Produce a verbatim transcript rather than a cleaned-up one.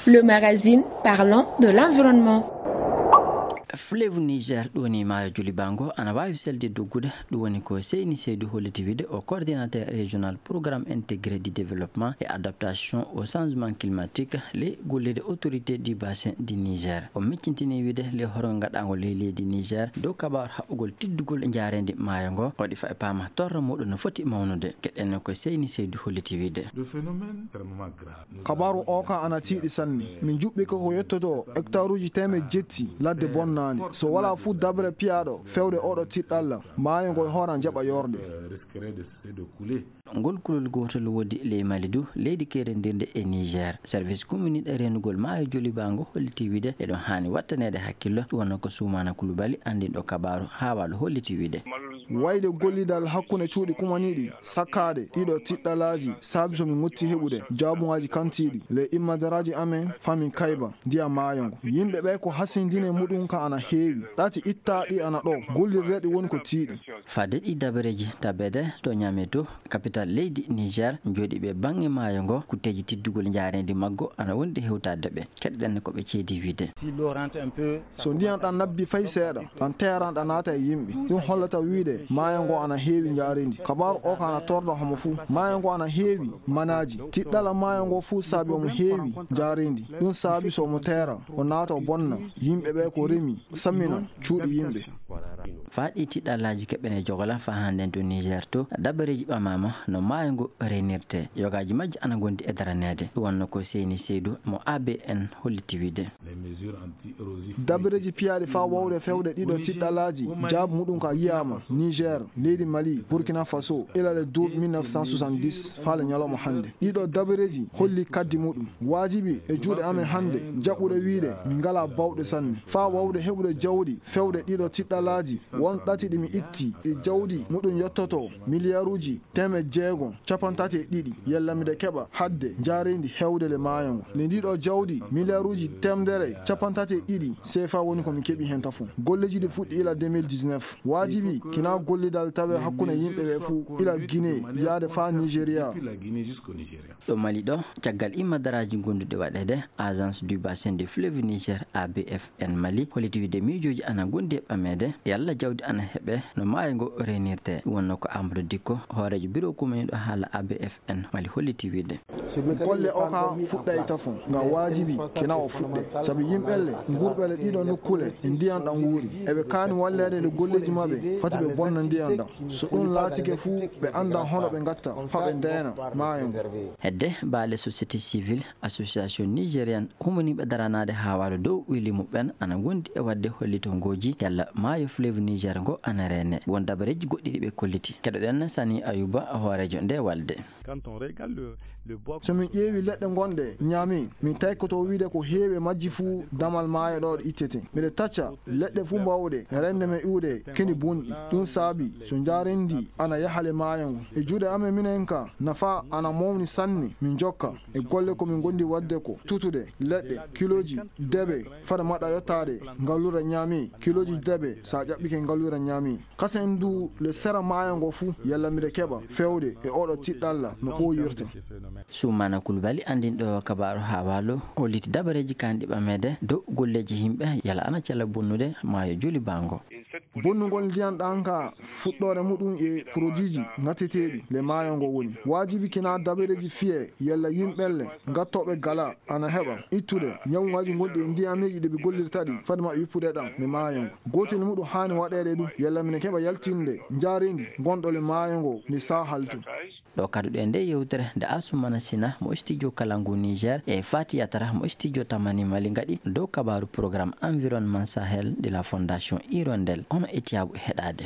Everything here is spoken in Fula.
Le magazine parlant de l'environnement. Fleuve Niger, ɗum woni maayo Julibango, ana waawi selde doggude. Ɗum woni ko Seyni Seydou holliti wiide, o coordinateur régional programme intégré du développement et adaptation au changement climatique, ley golleeji autorité du bassin du Niger. O miccintini wiide ley horgo gaɗaango ley leydi Niger dow kabaaru haɓɓugol tiddugol njaareendi maayo ngo, waɗi fayi paama torra muɗum no foti mawnude. Keɗen ko Seyni Seydou holliti wiide. Le phénomène extrêmement grave. Kabaaru o ka ana tiiɗi sanne. Min njuɓɓi ko ko yettoto hectaruuji teemeɗɗe jetti ladde bonnaande. So walaa fuu dabre piyaaɗo fewde oɗo tiɗɗalla, maayo ngo e hoore an jaɓa yoorde. Euh, risquerait de, de couler. Ngol kulol gootol woodi ley Mali du, leydi keerendirndi e Niger. Service kumminiiɗo reenugol maayo Joliba ngo holliti wiide eɗon haani wattaneede hakkillo, ɗum wonno ko Sumaana Kulubali anndinɗo kabaaru Haawaalu holliti wiide. Wayde gollidal hakkunde cuuɗi kumaniiɗi sakkaade ɗiɗo tiɗɗalaaji saabi so min ngotti heɓude jaabungaaji kantiiɗi ley immadaraaji amen faa min kayba ndiyam maayo ngo. Yimɓe ɓe ko hasindine muɗum ka ana heewi. Ɗati ittaaɗi ana ɗo, gollirde ɗi woni ko tiiɗi. Fadde ɗi dabareeji tabeede to Niamey to, kapital leydi Niger, jooɗiiɓe baŋŋe maayo ngo, kutteeji tiddugol njaareendi maggo ana wondi hewtaade ɓe. Keɗoɗen ko ɓe ceedi wiide. Si l'eau rentre un peu, so ndiyan ɗan nabbi fay seeɗa, ɗan teeran ɗan naata e yimɓe. Ɗum hollata wiide maayo ngo ana heewi njaareendi. Kabaaru o ka ana torra homo fuu. Maayo ngo ana heewi manaaji. Tiɗɗala maayo ngo fuu saabi omo heewi njaareendi. Ɗum saabi so omo teera, o naata o bonna. Yimɓe ɓe ko remi, sammina cuuɗi yimɓe. Faa ɗi tiɗɗalaaji keɓene jogola faa hannden to Niger to, dabareeji ɓamaama no maayo ngo reenirtee. Yogaaji majji ana ngondi e daraneede. Ɗum wonno ko Seyni Seydou mo A B N holliti wiide. Dabareeji piyaaɗi faa wawde fewde ɗiɗo tiɗɗalaaji, jaabu muɗum ka yiyaama Niger, leydi Mali, Burkina Faso, ila le douze mille neuf cent soixante-dix faa le ñalawma hannde. Ɗiɗo dabareeji holli kaddi muɗum. Waajibi e juuɗe amen hannde jaɓɓude wiide min ngalaa bawɗe sanne. Faa wawde heɓude jawdi fewde ɗiɗo tiɗɗalaaji, won ɗati ɗi mi itti, ɗi jawdi muɗum yottoto miliyaruuji teemeɗɗe jeego, cappanɗe tati e ɗiɗi, yalla miɗo keɓa hadde njaareendi heewde le maayo ngo. Nde ndiɗo jawdi, miliyaruuji teemedere, cappanɗe tati e ɗiɗi seefa woni ko mi keɓi heen tafon. Golleeji ɗi fuɗɗi ila deux mille dix-neuf. Waajibi kina gollidal tawe hakkunde yimɓe ɓe fuu, ila Guinée yaade faa Nigeria. Ɗo Mali ɗo, caggal immadaraaji gonduɗi waɗeede, Agence du Bassin du Fleuve Niger, A B F N Mali, holliti wiide miijooji ana gondi e ɓameede, yalla jawdi ana heɓe no maayo ngo reenirtee. Ɗum wonno ko Amadou Dicko, hooreejo biro kumminiiɗo haala A B F N Mali holliti wiide. Golle o ka fuɗɗay tafon, nga waajibi kina o fuɗɗe. Sabi yimɓelle ngurɓe le ɗiɗo nokkule e ndiyan ɗan wuuri. Eɓe kaani walleede le golleeji maɓɓe, fati ɓe bonna ndiyan ɗan. So ɗum laatike fuu, ɓe anndan hono ɓe ngatta, faa ɓe ndeena maayo ngo. Hedde baale société civile, Association Nigérienne, humaniiɓe daranaade haawaalu dow weli muɓɓen ana ngondi e waɗde hollitongooji yalla maayo fleuve Niger ngo ana reene. Won dabareeji goɗɗi ɗi ɓe kolliti. Keɗoɗen Sani Ayuba, hooreejo nde walde. Quand on regarde le, le bois. So min ƴeewi leɗɗe gonɗe Niamey, min taykoto wiide ko heewi e majji fuu damal maayo ɗo ittete. Miɗe tacca leɗɗe fuu mbawɗe rende men iwde keni bonɗi. Ɗum saabi so njaareendi ana yaha le maayo ngo. E juuɗe amen minen ka, nafa ana mawni sanne. Min jokka e golle ko min gondi waɗde ko tutude leɗɗe, kilooji debe, fade maɗa yottaade ngalluure Niamey, kilooji debe sa ƴaɓɓike ngalluure Niamey. Kasen du le sera maayo ngo fuu, yalla miɗe keɓa fewde e oɗo tiɗɗalla no ɓooyirte. Sumaana Kulbali, anndinɗo kabaaru haawaalu, holliti dabareeji kanɗi ɓameede dow golleeji yimɓe yalla ana cella bonnude maayo Joliba ngo. Bonnugol ndiyan ɗan ka fuɗɗoore muɗum e produitji ngatteteeɗi le maayo ngo woni. Waajibi kina dabareeji fiye yalla yimɓelle ngattooɓe gala ana heɓa ittude ñawuŋaaji gonɗi e ndiyameeji ɗi ɓe gollirta ɗi fade maɓɓe wippude ɗan le maayo ngo. Gootel muɗum haani waɗeede ɗum yalla mine keɓa yaltinde njaareendi gonɗo le maayo ngo ni saa haltu. Ɗo kaduɗen nde yewtere nde Assoumana Sina mo studio Kalangu Niger e Fati Yatara mo studio Tamani Mali ngaɗi dow kabaaru programme environnement Sahel de la Fondation Hirondelle. Hono e tiyaabu heɗaade.